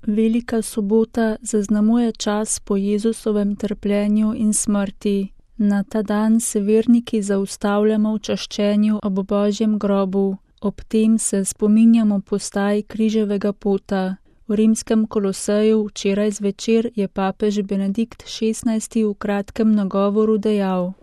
Velika sobota zaznamuje čas po Jezusovem trpljenju in smrti. Na ta dan se verniki zaustavljamo v čaščenju ob Božjem grobu. Ob tem se spominjamo postaj križevega pota. V rimskem Koloseju včeraj zvečer je papež Benedikt XVI v kratkem nagovoru dejal: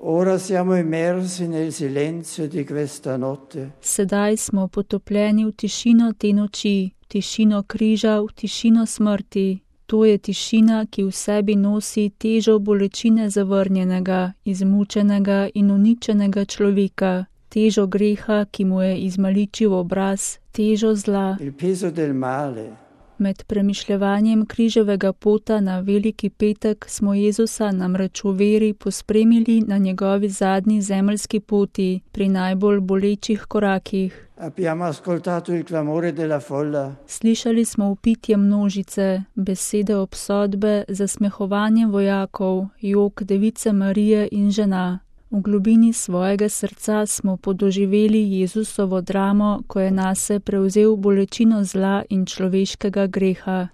Sedaj smo potopljeni v tišino te noči, v tišino križa, v tišino smrti. To je tišina, ki v sebi nosi težo bolečine zavrnjenega, izmučenega in uničenega človeka, težo greha, ki mu je izmaličil obraz, težo zla. Med premišljevanjem križevega pota na Veliki petek smo Jezusa namreč v veri pospremili na njegovi zadnji zemeljski poti, pri najbolj bolečih korakih. Slišali smo vpitje množice, besede obsodbe, zasmehovanje vojakov, jok Device Marije in žena. V globini svojega srca smo podoživeli Jezusovo dramo, ko je nase prevzel bolečino zla in človeškega greha.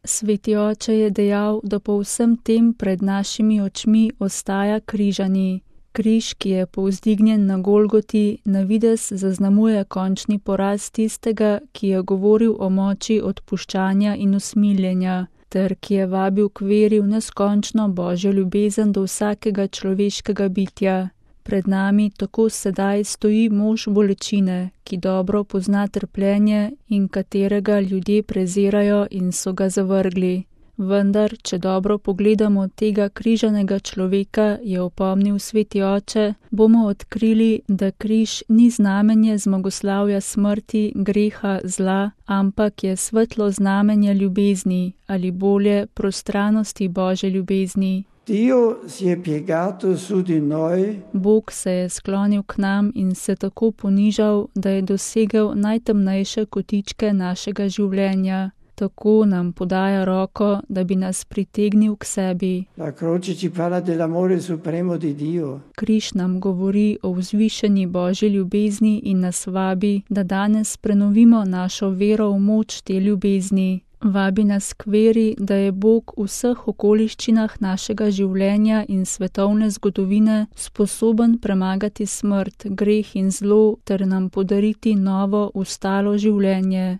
Sveti oče je dejal, da po vsem tem pred našimi očmi ostaja križani. Križ, ki je povzdignjen na Golgoti, na videz zaznamuje končni poraz tistega, ki je govoril o moči odpuščanja in usmiljenja, ter ki je vabil k veri v neskončno Božjo ljubezen do vsakega človeškega bitja. Pred nami tako sedaj stoji mož bolečine, ki dobro pozna trpljenje in katerega ljudje prezirajo in so ga zavrgli. Vendar, če dobro pogledamo tega križanega človeka, je opomnil sveti oče, bomo odkrili, da križ ni znamenje zmagoslavja smrti, greha, zla, ampak je svetlo znamenje ljubezni, ali bolje prostranosti Božje ljubezni. Bog se je sklonil k nam in se tako ponižal, da je dosegel najtemnejše kotičke našega življenja. Tako nam podaja roko, da bi nas pritegnil k sebi. Križ nam govori o vzvišeni Božji ljubezni in nas vabi, da danes prenovimo našo vero v moč te ljubezni. Vabi nas k veri, da je Bog v vseh okoliščinah našega življenja in svetovne zgodovine sposoben premagati smrt, greh in zlo ter nam podariti novo, ustalo življenje.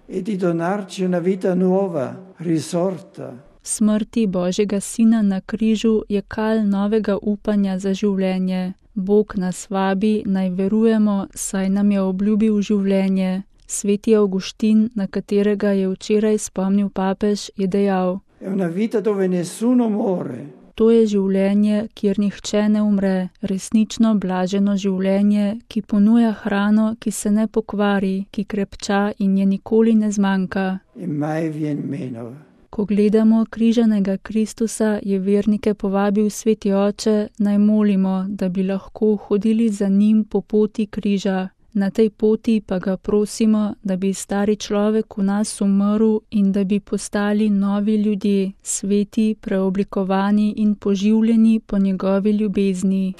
Smrti Božjega Sina na križu je kal novega upanja za življenje. Bog nas vabi, naj verujemo, saj nam je obljubil življenje. Sveti Avguštin, na katerega je včeraj spomnil papež, je dejal: To je življenje, kjer nihče ne umre, resnično blaženo življenje, ki ponuja hrano, ki se ne pokvari, ki krepča in je nikoli ne zmanjka. Ko gledamo križanega Kristusa, je vernike povabil sveti oče, naj molimo, da bi lahko hodili za njim po poti križa. Na tej poti pa ga prosimo, da bi stari človek v nas umrl in da bi postali novi ljudje, sveti, preoblikovani in poživljeni po njegovi ljubezni.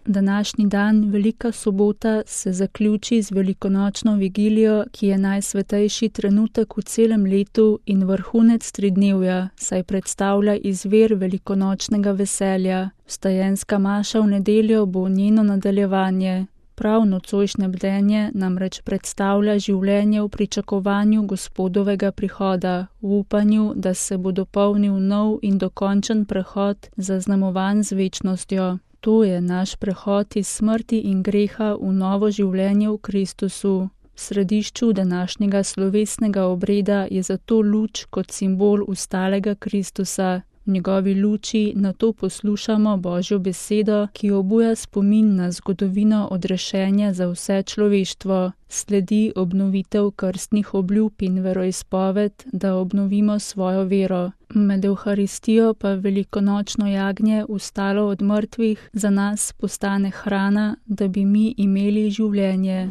Današnji dan, Velika sobota, se zaključi z velikonočno vigilijo, ki je najsvetejši trenutek v celem letu in vrhunec tridnevja, saj predstavlja izvir velikonočnega veselja. Vstajenska maša v nedeljo bo njeno nadaljevanje. Prav nocojšnje bdenje namreč predstavlja življenje v pričakovanju Gospodovega prihoda, v upanju, da se bo dopolnil nov in dokončen prehod, zaznamovan z večnostjo. To je naš prehod iz smrti in greha v novo življenje v Kristusu. V središču današnjega slovesnega obreda je zato luč kot simbol ustalega Kristusa. V njegovi luči nato poslušamo Božjo besedo, ki obuja spomin na zgodovino odrešenja za vse človeštvo. Sledi obnovitev krstnih obljub in veroizpoved, da obnovimo svojo vero. Med Evharistijo pa velikonočno jagnje, vstalo od mrtvih, za nas postane hrana, da bi mi imeli življenje.